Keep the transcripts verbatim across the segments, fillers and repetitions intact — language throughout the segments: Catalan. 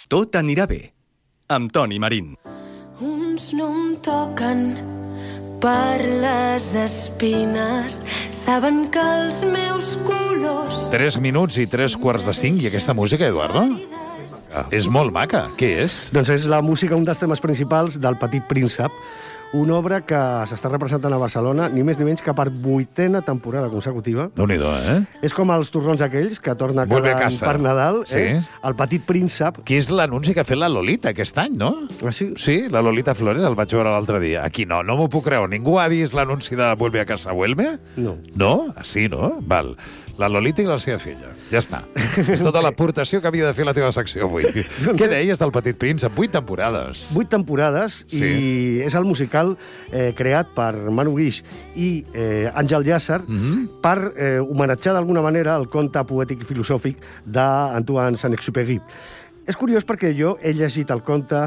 Tot anirà bé, amb Toni Marín. Uns no em toquen per les espines, saben que els meus colors... Tres minuts i tres quarts de cinc, i aquesta música, Eduardo? Ah, és molt maca. Què és? Doncs és la música, un dels temes principals del Petit Príncep, una obra que s'està representant a Barcelona ni més ni menys que per vuitena temporada consecutiva. Déu-n'hi-do, eh? És com els torrons aquells que torna cada any per Nadal, sí. eh? El Petit Príncep. Que és l'anunci que ha fet la Lolita aquest any, no? Ah, sí? Sí, la Lolita Flores, el vaig veure l'altre dia. Aquí no, no m'ho puc creure. Ningú ha vist l'anunci de Vuelve a casa, Vuelve? No. No? Sí, no? Val. La Lolita i la seva filla. Ja està. És tota l'aportació que havia de fer la teva secció avui. Què deies del Petit Príncep? Vuit temporades. Vuit temporades, sí. I és el musical eh, creat per Manu Guix i eh, Àngel Llàcer mm-hmm. per eh, homenatjar d'alguna manera el conte poètic i filosòfic d'Antoine Saint-Exupéry. És curiós perquè jo he llegit el conte,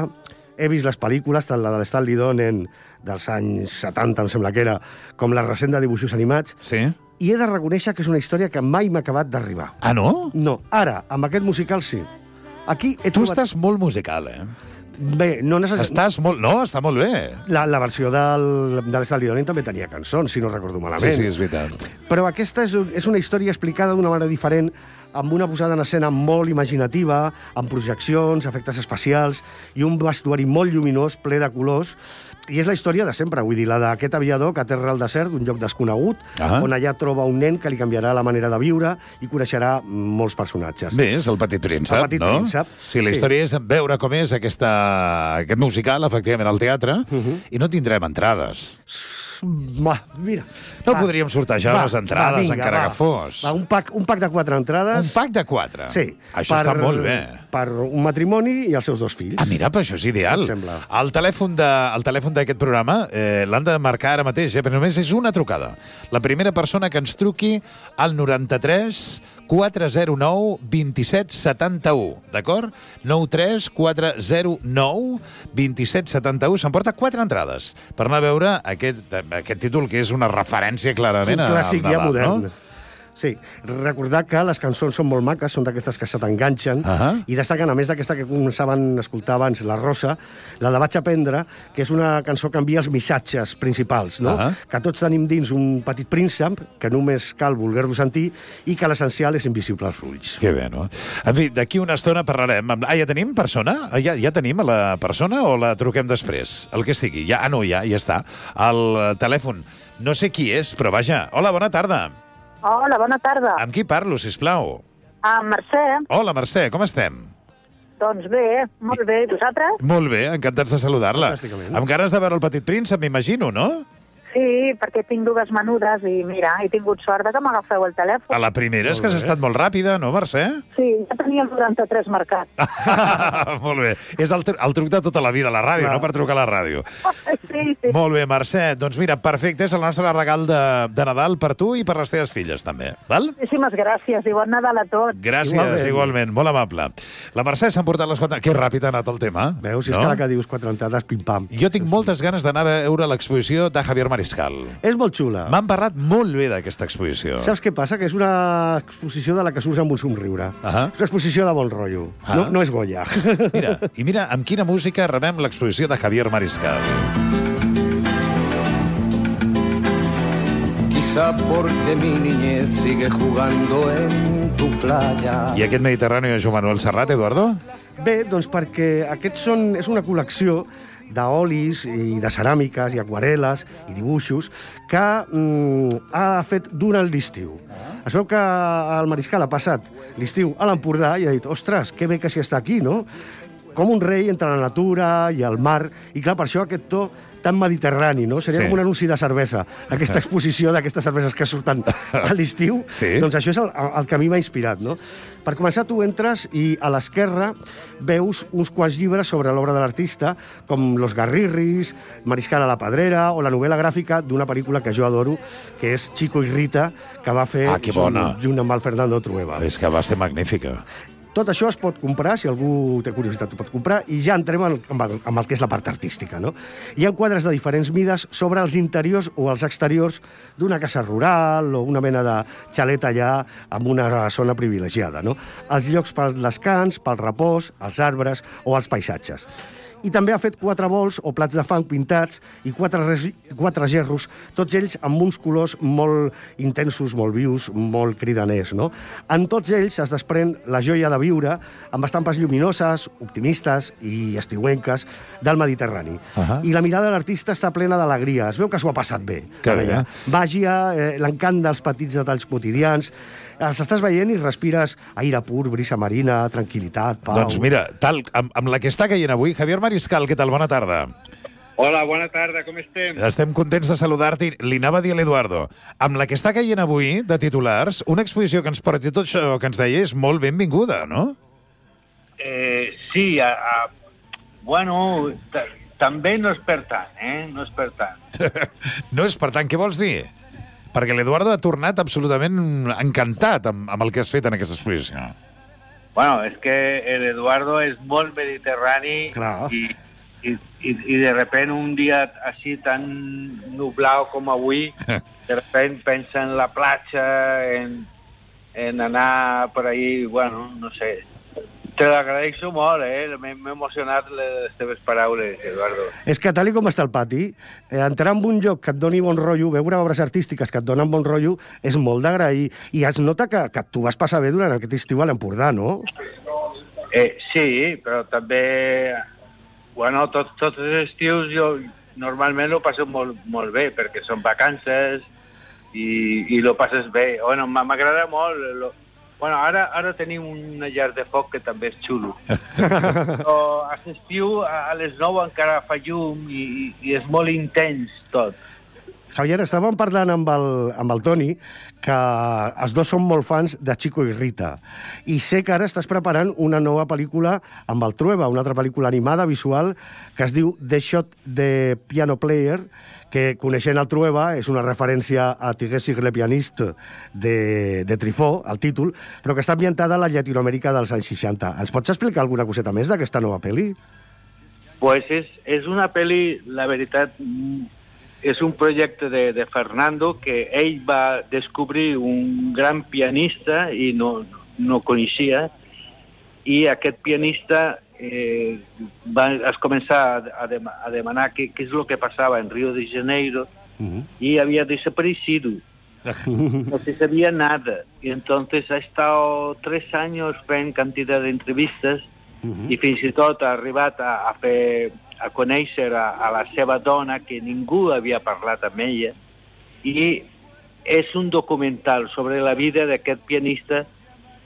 he vist les pel·lícules, tant la de l'Stanley Donen dels anys setanta, em sembla que era, com la recent de dibuixos animats, sí. I he de reconèixer que és una història que mai m'ha acabat d'arribar. Ah, no? No. Ara, amb aquest musical, sí. Aquí he tu trobat... estàs molt musical, eh? Bé, no necessàriament... Estàs molt... No, està molt bé. La, la versió del, de l'Stanley Donen també tenia cançons, si no recordo malament. Sí, sí, és veritat. Però aquesta és, és una història explicada d'una manera diferent, amb una posada en escena molt imaginativa, amb projeccions, efectes especials i un vestuari molt lluminós, ple de colors. I és la història de sempre, vull dir, la d'aquest aviador que aterra al desert d'un lloc desconegut, ah. on allà troba un nen que li canviarà la manera de viure i coneixerà molts personatges. Bé, és el Petit Príncep, el Petit no? Príncep. Sí, la història sí. és veure com és aquesta, aquest musical, efectivament, al teatre, uh-huh. i no tindrem entrades. Va, mira. No va, podríem sortejar va, les entrades, va, vinga, encara va, que fos. Va, un, pack, un pack de quatre entrades. Un pack de quatre? Sí. Això per, està molt bé. Per un matrimoni i els seus dos fills. Ah, mira, però això és ideal. El telèfon de, el telèfon d'aquest programa eh, l'han de marcar ara mateix, eh, però només és una trucada. La primera persona que ens truqui al noranta-tres quatre zero nou vint set setanta-u, d'acord? nou tres quatre zero nou vint set setanta-u. S'emporta quatre entrades per anar a veure aquest, aquest títol, que és una referència clarament al Nadal, no? Un clàssic ja modern. Sí, recordar que les cançons són molt maques, són d'aquestes que se t'enganxen, uh-huh. i destaquen, a més d'aquesta que començaven a escoltar abans, La Rosa, la de Vaig aprendre, que és una cançó que envia els missatges principals, no? Uh-huh. Que tots tenim dins un petit príncep, que només cal voler-lo sentir, i que l'essencial és invisible als ulls. Que bé, no? En fi, d'aquí una estona parlarem. Ah, ja tenim persona? Ja, ja tenim a la persona o la truquem després? El que sigui. Ja, ah, no, ja, ja està. El telèfon. No sé qui és, però vaja. Hola, bona tarda. Hola, bona tarda. Amb qui parlo, sisplau? Amb Mercè. Hola, Mercè, com estem? Doncs bé, molt bé. I vosaltres? Molt bé, encantats de saludar-la. Amb ganes de veure el Petit Príncep, m'imagino, no? Sí, perquè tinc dues menudes i mira, he tingut sort que m'agafeu el telèfon. A la primera és que has estat molt ràpida, no, Mercè? Sí, ja tenia el noranta-tres marcat. Molt bé. És el, el truc de tota la vida, la ràdio, Clar. no per trucar a la ràdio. Sí, sí. Molt bé, Mercè. Doncs mira, perfecte, és el nostre regal de, de Nadal per tu i per les teves filles, també. Val? Moltíssimes gràcies i bon Nadal a tots. Gràcies, igualment, igualment molt amable. La Mercè s'ha emportat les quatre... Que ràpid ha anat el tema. Veus, si no? És clar que dius quatre entrades, pim-pam. Jo tinc moltes ganes d'anar a veure l'exposició de Javier Mariscal. És molt xula. M'han parlat molt bé d'aquesta exposició. Saps què passa? Que és una exposició de la que surts amb un somriure. Uh -huh. És una exposició de bon rotllo. Uh -huh. no, no és Goya. Mira, i mira amb quina música rebem l'exposició de Javier Mariscal. Quizá porque mi niñez sigue jugando en tu playa. I aquest Mediterrani de Joan Manuel Serrat, Eduardo? Bé, doncs perquè aquests són, és una col·lecció d'olis i de ceràmiques i aquarel·les i dibuixos que mm, ha fet durant l'estiu. Ah. Es veu que el Mariscal ha passat l'estiu a l'Empordà i ha dit, ostres, que bé que s'hi està aquí, no? Com un rei entre la natura i el mar, i clar, per això aquest to tan mediterrani, no? Seria sí. com un anunci de cervesa, aquesta exposició d'aquestes cerveses que surten a l'estiu. Sí. Doncs això és el, el que a mi m'ha inspirat, no? Per començar, tu entres i a l'esquerra veus uns quants llibres sobre l'obra de l'artista, com Los Garrirris, Mariscal a la Pedrera, o la novel·la gràfica d'una pel·lícula que jo adoro, que és Chico y Rita, que va fer ah, que bona. junt amb el Fernando Trueba. És que va ser magnífica. Tot això es pot comprar, si algú té curiositat ho pot comprar, i ja entrem amb el, amb el que és la part artística, no? Hi ha quadres de diferents mides sobre els interiors o els exteriors d'una casa rural o una mena de xalet allà en una zona privilegiada, no? Els llocs pel descans, pel repòs, els arbres o els paisatges. I també ha fet quatre bols o plats de fang pintats i quatre, res, quatre gerros, tots ells amb uns colors molt intensos, molt vius, molt cridaners, no? En tots ells es desprèn la joia de viure amb estampes lluminoses, optimistes i estiuenques del Mediterrani. Uh -huh. I la mirada de l'artista està plena d'alegria. Es veu que s'ho ha passat bé. Que bé, eh? Màgia, eh, l'encant dels petits detalls quotidians. Els estàs veient i respires aire pur, brisa marina, tranquil·litat, pau... Doncs mira, tal, amb, amb la que està caient avui, Javier Mariscal, què tal? Bona tarda. Hola, bona tarda, com estem? Estem contents de saludar-te. Li anava a dir a l'Eduardo. Amb la que està caient avui, de titulars, una exposició que ens porti tot això que ens deia és molt benvinguda, no? Eh, sí, a, a, bueno, també no és per tant, eh? No és per tant. No és per tant, què vols dir? Perquè l'Eduardo ha tornat absolutament encantat amb, amb el que has fet en aquesta exposició. Bueno, és que l'Eduardo és molt mediterrani i, i, i, i de repente un dia així tan nublat com avui, de repente pensa en la platja, en, en anar per ahí, bueno, no sé. Te l'agraeixo molt, eh? M'he emocionat les teves paraules, Eduardo. És que tal com està el pati, eh, entrar en un lloc que et doni bon rotllo, veure obres artístiques que et donen bon rotllo, és molt d'agrair. I es nota que, que tu vas passar bé durant aquest estiu a l'Empordà, no? Eh, sí, però també... Bueno, tots, tots els estius jo normalment ho passo molt, molt bé, perquè són vacances i, i lo passes bé. Bueno, m'agrada molt... Lo... Bueno, ara, ara tenim una llar de foc que també és xulo. Però a l'estiu, a les nou encara fa llum i, i és molt intens tot. Javier, estàvem parlant amb el, amb el Toni que els dos són molt fans de Chico i Rita. I sé que ara estàs preparant una nova pel·lícula amb el Trueba, una altra pel·lícula animada, visual, que es diu The Shot de Piano Player, que, coneixent el Trueba, és una referència a Tigessic le pianiste de, de Trifó, el títol, però que està ambientada a la Llatinoamèrica dels anys seixanta. Ens pots explicar alguna coseta més d'aquesta nova pel·li? Pues és, és una pel·li, la veritat, és un projecte de, de Fernando, que ell va descobrir un gran pianista i no, no coneixia, i aquest pianista eh, va es començar a, de, a demanar què, què és el que passava en Rio de Janeiro, uh-huh. y había desaparecido. No se sabía nada. Y entonces ha estado tres años fent cantidad de entrevistes uh-huh. i fins i tot ha arribat a, a fer a conèixer a, a la seva dona, que ningú havia parlat amb ella, i és un documental sobre la vida d'aquest pianista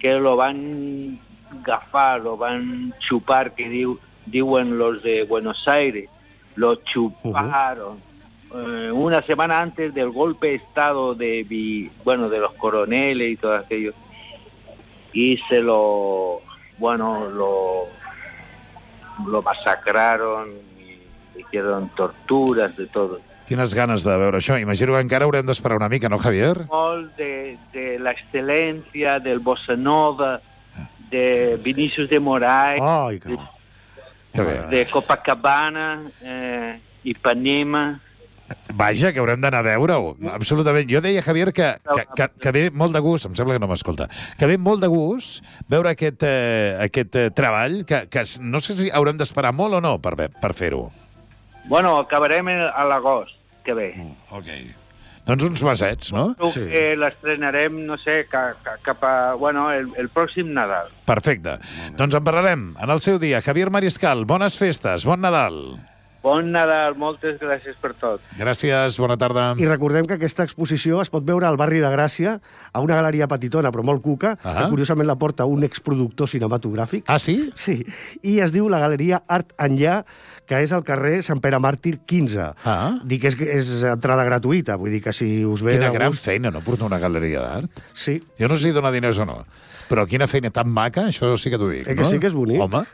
que lo van agafar, lo van chupar, que diu, diuen los de Buenos Aires, lo chuparon. Uh-huh. eh, una semana antes del golpe de estado de, bueno, de los coroneles y todo aquello, y se lo, bueno, lo, lo masacraron y hicieron torturas de todo. Quines ganes de veure això. Imagino que encara haurem d'esperar una mica, no, Javier? Molt de, de la excel·lència, del bossa nova, de Vinícius de Moraes, Ai, que... de, de Copacabana, eh, Ipanema... Vaja, que haurem d'anar a veure-ho. Absolutament. Jo deia, Javier, que, que, que, que ve molt de gust, em sembla que no m'escolta, que ve molt de gust veure aquest, eh, aquest eh, treball, que, que no sé si haurem d'esperar molt o no per, per fer-ho. Bueno, acabarem a l'agost que ve. Mm, ok. Doncs uns mesets, no? Sí. Eh, l'estrenarem, no sé, cap, cap a... Bueno, el, el pròxim Nadal. Perfecte. Mm. Doncs en parlarem en el seu dia. Javier Mariscal, bones festes, bon Nadal. Bon Nadal, moltes gràcies per tot. Gràcies, bona tarda. I recordem que aquesta exposició es pot veure al barri de Gràcia, a una galeria petitona, però molt cuca, uh-huh. que curiosament la porta un exproductor cinematogràfic. Ah, sí? Sí, i es diu la Galeria Art Enllà, que és al carrer Sant Pere Màrtir quinze. Ah. Dic que és, és entrada gratuïta, vull dir que si us ve... Quina de gran gust... feina, no? Portar una galeria d'art. Sí. Jo no sé si dona diners o no. Però quina feina tan maca, això sí que t'ho dic, Eh que no? sí que és bonic. Home,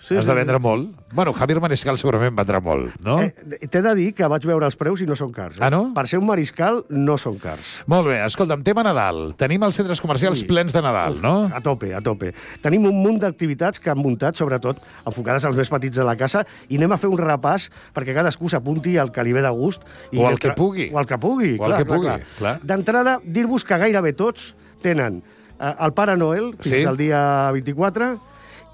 Sí, has de sí. vendre molt. Bueno, Javier Mariscal segurament vendrà molt, no? Eh, T'he de dir que vaig veure els preus i no són cars. Eh? Ah, no? Per ser un mariscal, no són cars. Molt bé, escolta'm, tema Nadal. Tenim els centres comercials Sí. plens de Nadal, no? A tope, a tope. Tenim un munt d'activitats que han muntat, sobretot enfocades als més petits de la casa, i anem a fer un repàs perquè cadascú s'apunti al que li ve de gust. I O al que tra- pugui. O al que pugui, O al clar, que clar, pugui, clar. clar. D'entrada, dir-vos que gairebé tots tenen eh, el Pare Noel fins Sí. al dia vint-i-quatre,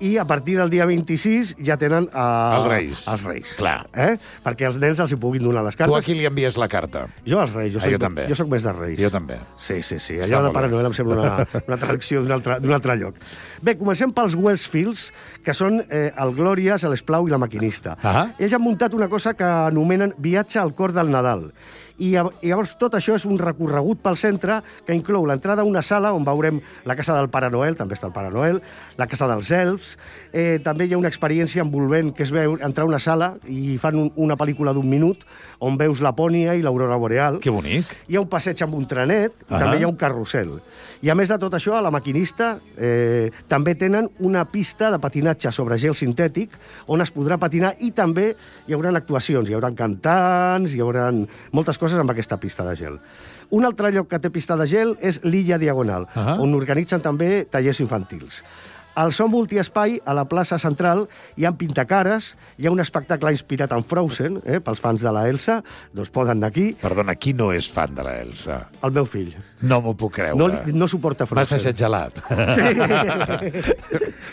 i a partir del dia vint-i-sis ja tenen eh, Els Reis. Els Reis. Clar. Eh? Perquè els nens els hi puguin donar les Tu a cartes. qui li envies la carta? Jo als Reis. Jo Ah, soc, jo també. Jo soc més de Reis. Jo també. Sí, sí, sí. Està Allò de molt Pare bé. Noel em sembla una, una traducció d'un altre, d'un altre lloc. Bé, comencem pels Westfields, que són eh, el Glòries, l'Esplau i la Maquinista. Ah. Ells han muntat una cosa que anomenen Viatge al cor del Nadal. I llav- i llavors tot això és un recorregut pel centre que inclou l'entrada a una sala on veurem la casa del Pare Noel, també està el Pare Noel, la casa dels elfs, eh, també hi ha una experiència envolvent que és veure, entrar a una sala i fan un, una pel·lícula d'un minut on veus Lapònia i l'aurora boreal. Que bonic. Hi ha un passeig amb un trenet i Ah. també hi ha un carrusel. I a més de tot això, a la Maquinista eh, també tenen una pista de patinatge sobre gel sintètic on es podrà patinar i també hi haurà actuacions, hi haurà cantants, hi haurà moltes coses amb aquesta pista de gel. Un altre lloc que té pista de gel és l'Illa Diagonal, Ah. on organitzen també tallers infantils. Al Som Multiespai, a la plaça central, hi ha pintacares, hi ha un espectacle inspirat en Frozen, eh, pels fans de la Elsa, doncs poden anar aquí. Perdona, qui no és fan de la Elsa? El meu fill. No m'ho puc creure. No, no suporta M'has Frozen. deixat gelat. Sí.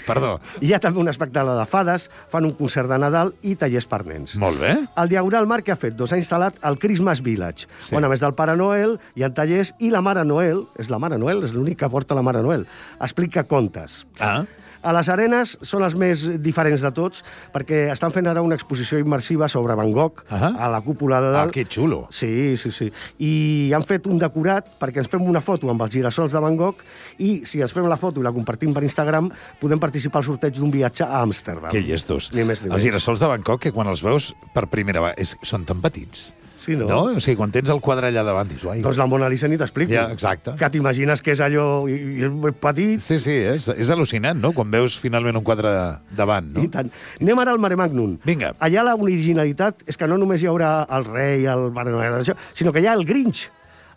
Perdó. Hi ha també un espectacle de fades, fan un concert de Nadal i tallers per nens. Molt bé. El Diagonal Mar que ha fet? Doncs ha instal·lat el Christmas Village, Sí. on a més del Pare Noel hi ha tallers i la Mare Noel, és la Mare Noel, és l'únic que porta la Mare Noel, explica contes. Ah. A les arenes són els més diferents de tots perquè estan fent ara una exposició immersiva sobre Van Gogh Ah. a la cúpula de Ah, dalt. que xulo. Sí, sí, sí. I han fet un decorat perquè ens fem una foto amb els girassols de Van Gogh i si ens fem la foto i la compartim per Instagram podem participar al sorteig d'un viatge a Amsterdam. Que llestos. Ni més ni Els menys. girassols de Bangkok, que quan els veus per primera vegada, és, són tan petits. Sí, no? No? O sigui, quan tens el quadre allà davant, dius, ai... Doncs la Mona Lisa ni t'explico. Ja, exacte. Que t'imagines que és allò i, i és petit. Sí, sí, és, és al·lucinant, no?, quan veus finalment un quadre davant, no? I tant. Anem ara al Mare Magnum. Vinga. Allà la originalitat és que no només hi haurà el rei, el Pare Noel, això, sinó que hi ha el Grinch,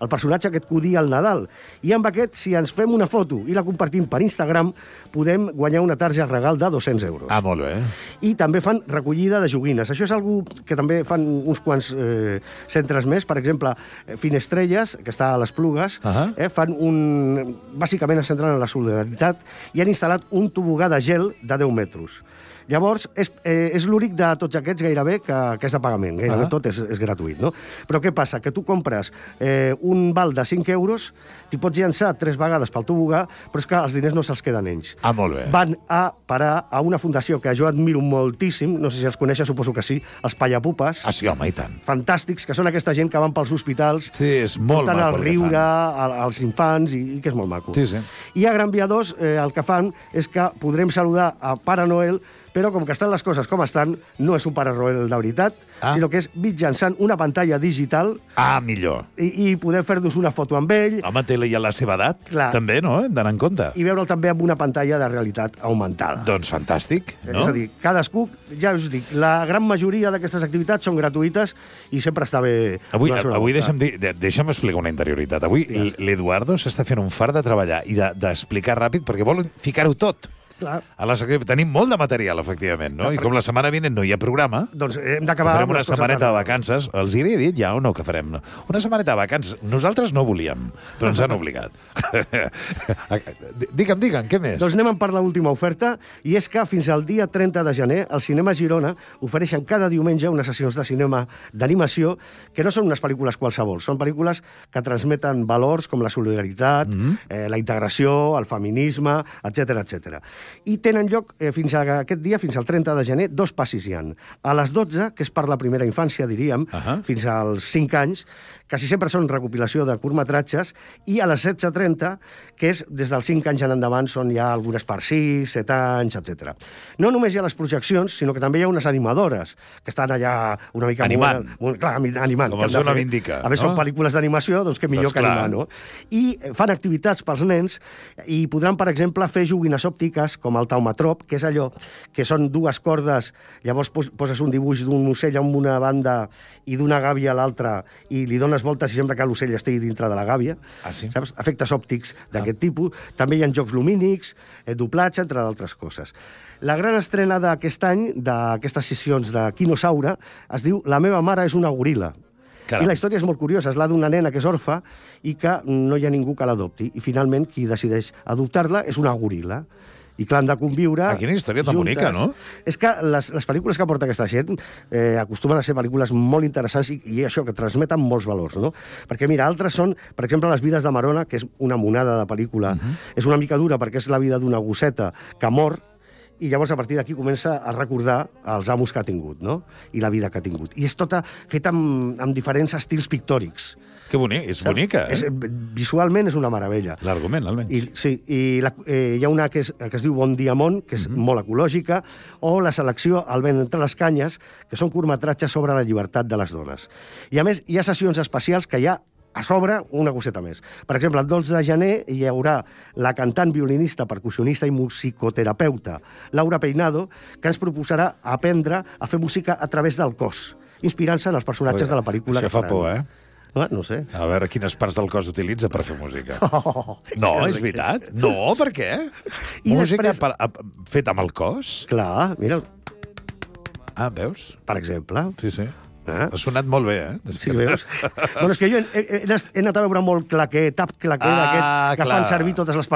el personatge aquest que odia el Nadal. I amb aquest, si ens fem una foto i la compartim per Instagram, podem guanyar una tarja regal de dos-cents euros. Ah, molt bé. I també fan recollida de joguines. Això és algo que també fan uns quants eh, centres més. Per exemple, eh, Finestrelles, que està a les Plugues, Ahà. eh, fan un... Bàsicament es centren en la solidaritat i han instal·lat un tobogà de gel de deu metres. Llavors, és, eh, és l'únic de tots aquests gairebé que, que és de pagament. Gairebé Ah. tot és, és gratuït, no? Però què passa? Que tu compres eh, un val de cinc euros, t'hi pots llançar tres vegades pel tobogà, però és que els diners no se'ls queden ells. Ah, molt bé. Van a parar a una fundació que jo admiro moltíssim, no sé si els coneixes, suposo que sí, els Pallapupes. Ah, sí, home, i tant. Fantàstics, que són aquesta gent que van pels hospitals, Sí, és molt porten maco el el que riure fan. a- als infants, i, i que és molt maco. Sí, sí. I a Gran Via dos eh, el que fan és que podrem saludar a Pare Noel, però com que estan les coses com estan, no és un Pare Noel de veritat, Ah. sinó que és mitjançant una pantalla digital Ah, millor. i, i poder fer-nos una foto amb ell Home, té ja la seva edat, Clar. també, no? Hem d'anar en compte. i veure'l també amb una pantalla de realitat augmentada. Doncs fantàstic, no? És a dir, cadascú, ja us dic, la gran majoria d'aquestes activitats són gratuïtes i sempre està bé... Avui, donar-se una avui volta. deixa'm, dir, de- deixa'm explicar una interioritat. Avui Digues. l'Eduardo s'està fent un fart de treballar i de- d'explicar de, ràpid perquè vol ficar-ho tot. Clar. A la secretaria. Tenim molt de material, efectivament, no? I com la setmana vinent no hi ha programa, Doncs hem que d'acabar... farem amb una les coses setmaneta de de- vacances. Els hi havia dit ja o no que farem? Una setmaneta de vacances. Nosaltres no volíem, però ens han obligat. digue'm, digue'm, què més? Doncs anem per l'última oferta, i és que fins al dia trenta de gener el Cinema Girona ofereixen cada diumenge unes sessions de cinema d'animació que no són unes pel·lícules qualsevol, són pel·lícules que transmeten valors com la solidaritat, mm -hmm. eh, la integració, el feminisme, etcètera, etcètera. I tenen lloc eh, fins a aquest dia, fins al trenta de gener, dos passis hi ha. A les dotze, que és per la primera infància, diríem, uh -huh. fins als cinc anys, quasi sempre són recopilació de curtmetratges, i a les setze trenta, que és des dels cinc anys en endavant, són ja algunes per sis, set anys, etcètera. No només hi ha les projeccions, sinó que també hi ha unes animadores, que estan allà una mica... Animant. Molt, molt, clar, animant. Com el seu nom indica. A més, no? Són pel·lícules d'animació, doncs què millor doncs que animar, no? I fan activitats pels nens i podran, per exemple, fer joguines òptiques, com el taumatrop, que és allò que són dues cordes, llavors poses un dibuix d'un ocell a una banda i d'una gàbia a l'altra i li dones voltes i sembla que l'ocell estigui dintre de la gàbia. Ah, sí? Saps? Efectes òptics d'aquest ah. tipus. També hi ha jocs lumínics, eh, doblatge, entre d'altres coses. La gran estrena d'aquest any, d'aquestes sessions de Quinosaure, es diu La meva mare és una goril·la. Caram. I la història és molt curiosa. És la d'una nena que és orfa i que no hi ha ningú que l'adopti. I finalment qui decideix adoptar-la és una goril·la. I clar, han de conviure... Ah, quina història tan juntes. bonica, no? És que les, les pel·lícules que porta aquesta gent eh, acostumen a ser pel·lícules molt interessants i, i això, que transmeten molts valors, no? Perquè, mira, altres són, per exemple, Les vides de Marona, que és una monada de pel·lícula. Uh-huh. És una mica dura perquè és la vida d'una gosseta que mor i llavors a partir d'aquí comença a recordar els amos que ha tingut, no? I la vida que ha tingut. I és tota feta amb, amb diferents estils pictòrics. Que bonic, és bonica, eh? És, visualment és una meravella. L'argument, almenys. I, sí, i la, eh, hi ha una que, és, que es diu Bon dia món, que és mm-hmm. molt ecològica, o la selecció El vent entre les canyes, que són curtmetratges sobre la llibertat de les dones. I a més, hi ha sessions especials que hi ha a sobre una coseta més. Per exemple, el dotze de gener hi haurà la cantant, violinista, percussionista i musicoterapeuta Laura Peinado, que ens proposarà aprendre a fer música a través del cos, inspirant-se en els personatges Ui, de la pel·lícula. Això fa por, eh? Ah, no sé. A veure quines parts del cos utilitza per fer música. Oh, no, és veritat? No, per què? I música després... per, a, feta amb el cos? Clar, mira. Ah, veus? Per exemple. Sí, sí. Eh? Ha sonat molt bé, eh? Sí, veus? Bueno, és que jo he, he, he anat a veure molt claquet, tap claquet, ah, aquest, que clar. Fan servir totes les